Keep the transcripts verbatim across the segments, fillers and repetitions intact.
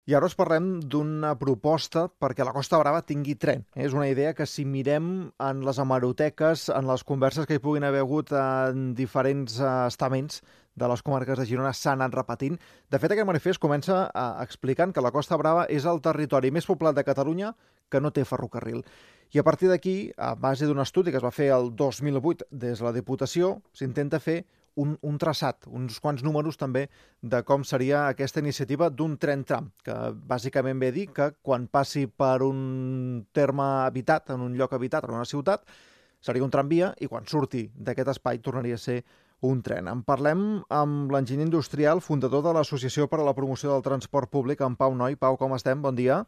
I ara us parlem d'una proposta perquè la Costa Brava tingui tren. És una idea que si mirem en les hemeroteques, en les converses que hi puguin haver hagut en diferents estaments de les comarques de Girona s'ha anat repetint. De fet, aquest manifest comença explicant que la Costa Brava és el territori més poblat de Catalunya que no té ferrocarril. I a partir d'aquí, a base d'un estudi que es va fer el dos mil vuit des de la Diputació, s'intenta fer Un, un traçat, uns quants números també de com seria aquesta iniciativa d'un tren tram, que bàsicament ve a dir que quan passi per un terme habitat, en un lloc habitat, en una ciutat, seria un tramvia i quan surti d'aquest espai tornaria a ser un tren. En parlem amb l'enginyer industrial, fundador de l'Associació per a la Promoció del Transport Públic, en Pau Noi. Pau, com estem? Bon dia.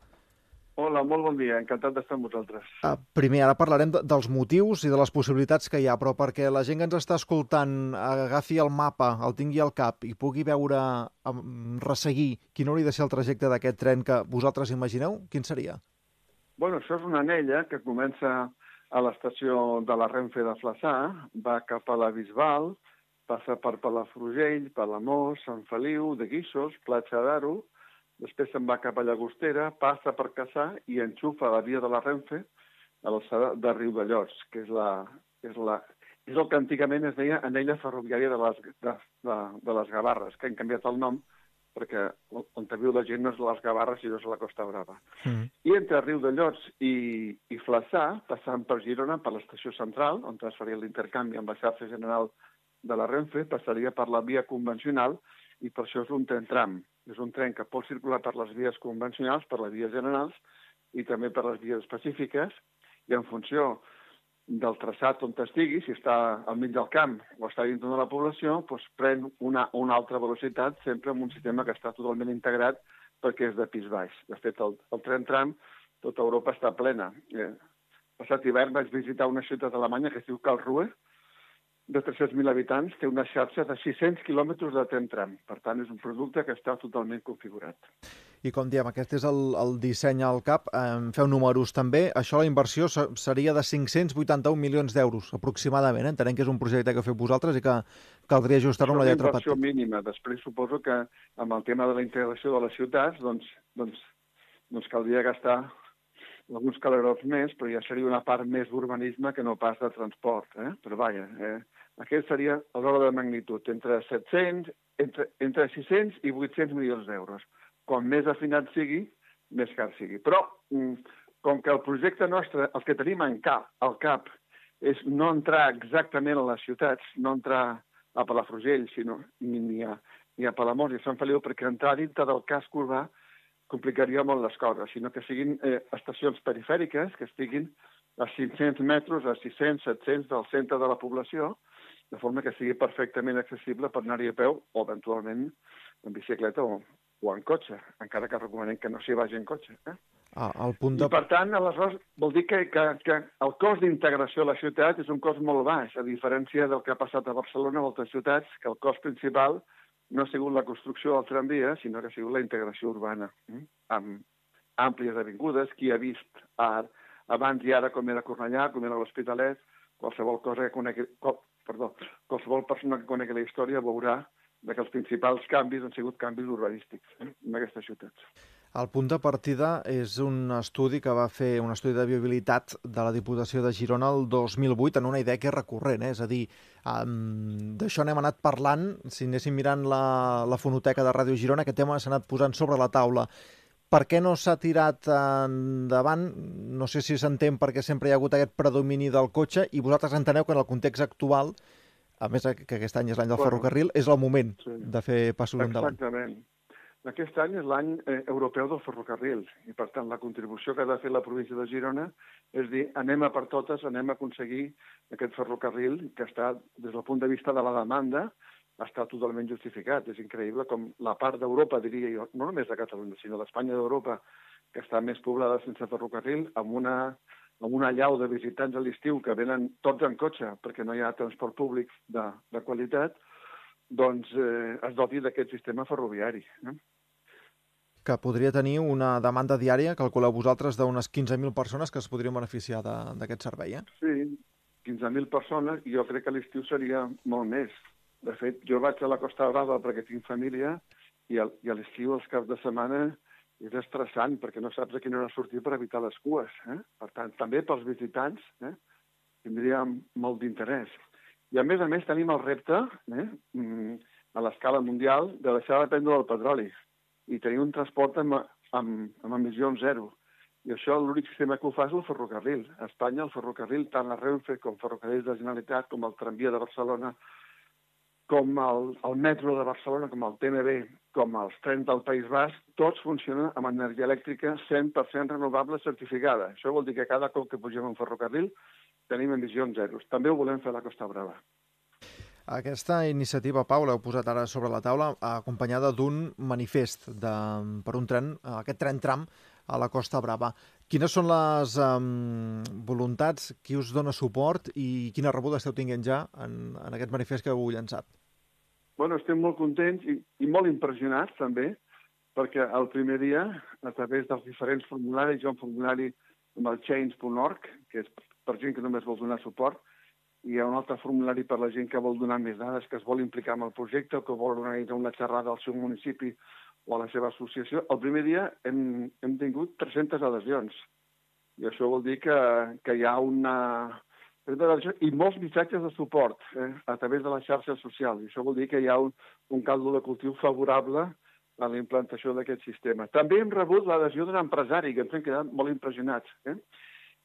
Hola, molt bon dia. Encantat d'estar amb vosaltres. Uh, primer, ara parlarem de, dels motius i de les possibilitats que hi ha, però perquè la gent que ens està escoltant agafi el mapa, el tingui al cap i pugui veure, um, resseguir quin hauria de ser el trajecte d'aquest tren que vosaltres imagineu, quin seria? Bueno, això és una anella que comença a l'estació de la Renfe de Flaçà, va cap a la Bisbal, passa per Palafrugell, Palamós, Sant Feliu, de Guixos, Platja d'Aro, després se'n va cap a Llagostera, passa per Cassà i enxufa la via de la Renfe a l'alçada de Riudellots, que és, la, és, la, és el que antigament es deia anella ferroviària de les, de, de, de les Gavarres, que han canviat el nom perquè on viu la gent no és les Gavarres sinó és la Costa Brava. Mm. I entre Riudellots i, i Flaçà, passant per Girona, per l'estació central, on es faria l'intercanvi amb la xarxa general de la Renfe, passaria per la via convencional i per això és un tren tram. És un tren que pot circular per les vies convencionals, per les vies generals i també per les vies específiques i en funció del traçat on estigui, si està al mig del camp o està dintre de la població, doncs pren una, una altra velocitat sempre amb un sistema que està totalment integrat perquè és de pis baix. De fet, el, el tren tram, tota Europa està plena. Eh, passat hivern vaig visitar una ciutat alemanya que es diu Karlsruhe, de tres-cents mil habitants, té una xarxa de sis-cents quilòmetres de tren tram. Per tant, és un producte que està totalment configurat. I com diem, aquest és el, el disseny al cap. Eh, feu números també. Això, la inversió seria de cinc-cents vuitanta-un milions d'euros, aproximadament. Eh? Entenem que és un projecte que feu vosaltres i que caldria ajustar-ho amb la lletra petita. És una inversió mínima. Després suposo que amb el tema de la integració de les ciutats, doncs, doncs, doncs caldria gastar alguns calerots més, però ja seria una part més d'urbanisme que no pas de transport. Eh? Però vaja, eh? Aquest seria l'ordre de magnitud, entre set-cents, entre, entre sis-cents i vuit-cents milions d'euros. Com més afinat sigui, més car sigui. Però, com que el projecte nostre, el que tenim en cap, al cap, és no entrar exactament a les ciutats, no entrar a Palafrugell, sinó ni a, ni a Palamós ni a Sant Feliu, perquè entrar dintre del casc urbà complicaria molt les coses, sinó que siguin eh, estacions perifèriques, que estiguin a cinc-cents metres, a sis-cents, set-cents del centre de la població, de forma que sigui perfectament accessible per anar-hi a peu o, eventualment, en bicicleta o, o en cotxe, encara que recomanem que no s'hi vagi en cotxe. Eh? Ah, el punt de... I, per tant, aleshores, vol dir que, que, que el cost d'integració a la ciutat és un cost molt baix, a diferència del que ha passat a Barcelona o altres ciutats, que el cost principal no ha sigut la construcció del tramvia, sinó que ha sigut la integració urbana, eh? amb àmplies avingudes. Qui ha vist ara, abans i ara com era Cornellà, com era l'Hospitalet, qualsevol cosa que conegui, qual, perdó, qualsevol persona que conegui la història veurà que els principals canvis han sigut canvis urbanístics eh? en aquestes ciutats. El punt de partida és un estudi que va fer, un estudi de viabilitat de la Diputació de Girona el dos mil vuit en una idea que és recurrent, eh? És a dir, um, d'això n'hem anat parlant, si anéssim mirant la, la fonoteca de Ràdio Girona, aquest tema s'ha anat posant sobre la taula. Per què no s'ha tirat endavant? No sé si s'entén perquè sempre hi ha hagut aquest predomini del cotxe i vosaltres enteneu que en el context actual, a més que aquest any és l'any del bueno, ferrocarril, és el moment sí. de fer passos endavant. Exactament. Aquest any és l'any eh, europeu del ferrocarril i, per tant, la contribució que ha de fer la província de Girona és dir, anem a per totes, anem a aconseguir aquest ferrocarril que està, des del punt de vista de la demanda, està totalment justificat. És increïble com la part d'Europa, diria jo, no només de Catalunya, sinó d'Espanya i d'Europa, que està més poblada sense ferrocarril, amb una, amb una llau de visitants a l'estiu que venen tots en cotxe perquè no hi ha transport públic de, de qualitat, doncs eh, es doti d'aquest sistema ferroviari. Eh? Que podria tenir una demanda diària, calculeu vosaltres, d'unes quinze mil persones que es podrien beneficiar d'aquest servei, eh? Sí, quinze mil persones, i jo crec que a l'estiu seria molt més. De fet, jo vaig a la Costa Brava perquè tinc família, i, el, i a l'estiu, els caps de setmana, és estressant perquè no saps a quina hora sortir per evitar les cues. Eh? Per tant, també pels visitants eh, tindria molt d'interès. I a més a més tenim el repte eh, a l'escala mundial de deixar de dependre del petroli i tenir un transport amb, amb, amb emissions zero. I això l'únic sistema que ho fa és el ferrocarril. A Espanya el ferrocarril, tant la Renfe com ferrocarrils de Generalitat, com el tramvia de Barcelona, com el, el metro de Barcelona, com el T N B, com els trens del País Basc, tots funcionen amb energia elèctrica cent per cent renovable certificada. Això vol dir que cada cop que pugem un ferrocarril tenim emissions zeros. També ho volem fer a la Costa Brava. Aquesta iniciativa, Pau, l'heu posat ara sobre la taula, acompanyada d'un manifest de, per un tren, aquest tren tram a la Costa Brava. Quines són les um, voluntats, qui us dona suport i quina rebuda esteu tinguent ja en, en aquest manifest que heu llançat? Bueno, estem molt contents i, i molt impressionats també, perquè el primer dia, a través dels diferents formularis, hi ha un formulari amb el change punt org, que és per gent que només vol donar suport, i hi ha un altre formulari per la gent que vol donar més dades, que es vol implicar en el projecte o que vol organitzar una xerrada al seu municipi o a la seva associació. El primer dia hem, hem tingut tres-centes adhesions. I això vol dir que, que hi ha una... i molts missatges de suport eh, a través de les xarxes socials. I això vol dir que hi ha un, un caldo de cultiu favorable a la implantació d'aquest sistema. També hem rebut l'adhesió d'un empresari, que ens hem quedat molt impressionats. Eh?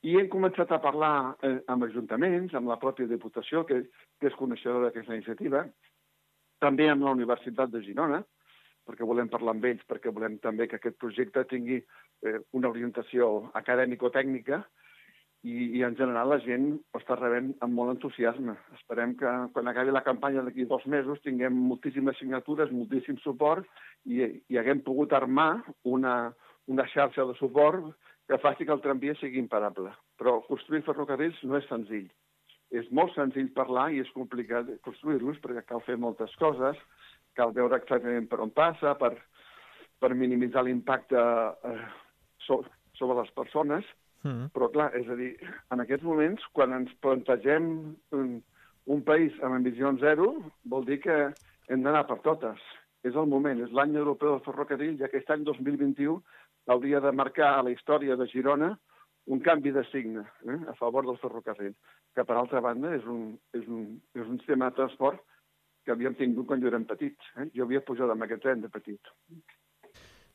I hem començat a parlar eh, amb ajuntaments, amb la pròpia Diputació, que, que és coneixedora d'aquesta iniciativa, també amb la Universitat de Girona, perquè volem parlar amb ells, perquè volem també que aquest projecte tingui eh, una orientació acadèmico-tècnica i, i en general la gent ho està rebent amb molt entusiasme. Esperem que quan acabi la campanya d'aquí dos mesos tinguem moltíssimes signatures, moltíssim suport i, i haguem pogut armar una, una xarxa de suport que faci que el tramvia sigui imparable. Però construir ferrocarrils no és senzill. És molt senzill parlar i és complicat construir-los perquè cal fer moltes coses, cal veure exactament per on passa, per, per minimitzar l'impacte eh, so, sobre les persones. Mm. Però, clar, és a dir, en aquests moments, quan ens plantegem un, un país amb emissions zero, vol dir que hem d'anar per totes. És el moment, és l'any europeu del ferrocarril, i aquest any dos mil vint-i-u hauria de marcar a la història de Girona un canvi de signe eh, a favor del ferrocarril, que, per altra banda, és un, és un, és un sistema de transport que havíem tingut quan jo érem petits. Eh? Jo havia pujat amb aquest tren de petit.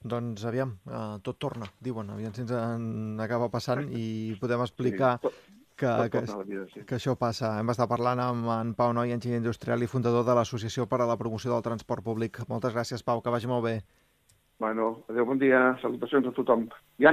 Doncs aviam, uh, tot torna, diuen. Aviam si ens en acaba passant i podem explicar sí, tot, que, tot que, vida, sí. que això passa. Hem estat parlant amb en Pau Noi, enginyer industrial i fundador de l'Associació per a la Promoció del Transport Públic. Moltes gràcies, Pau, que vagi molt bé. Bueno, adéu, bon dia, salutacions a tothom. Ja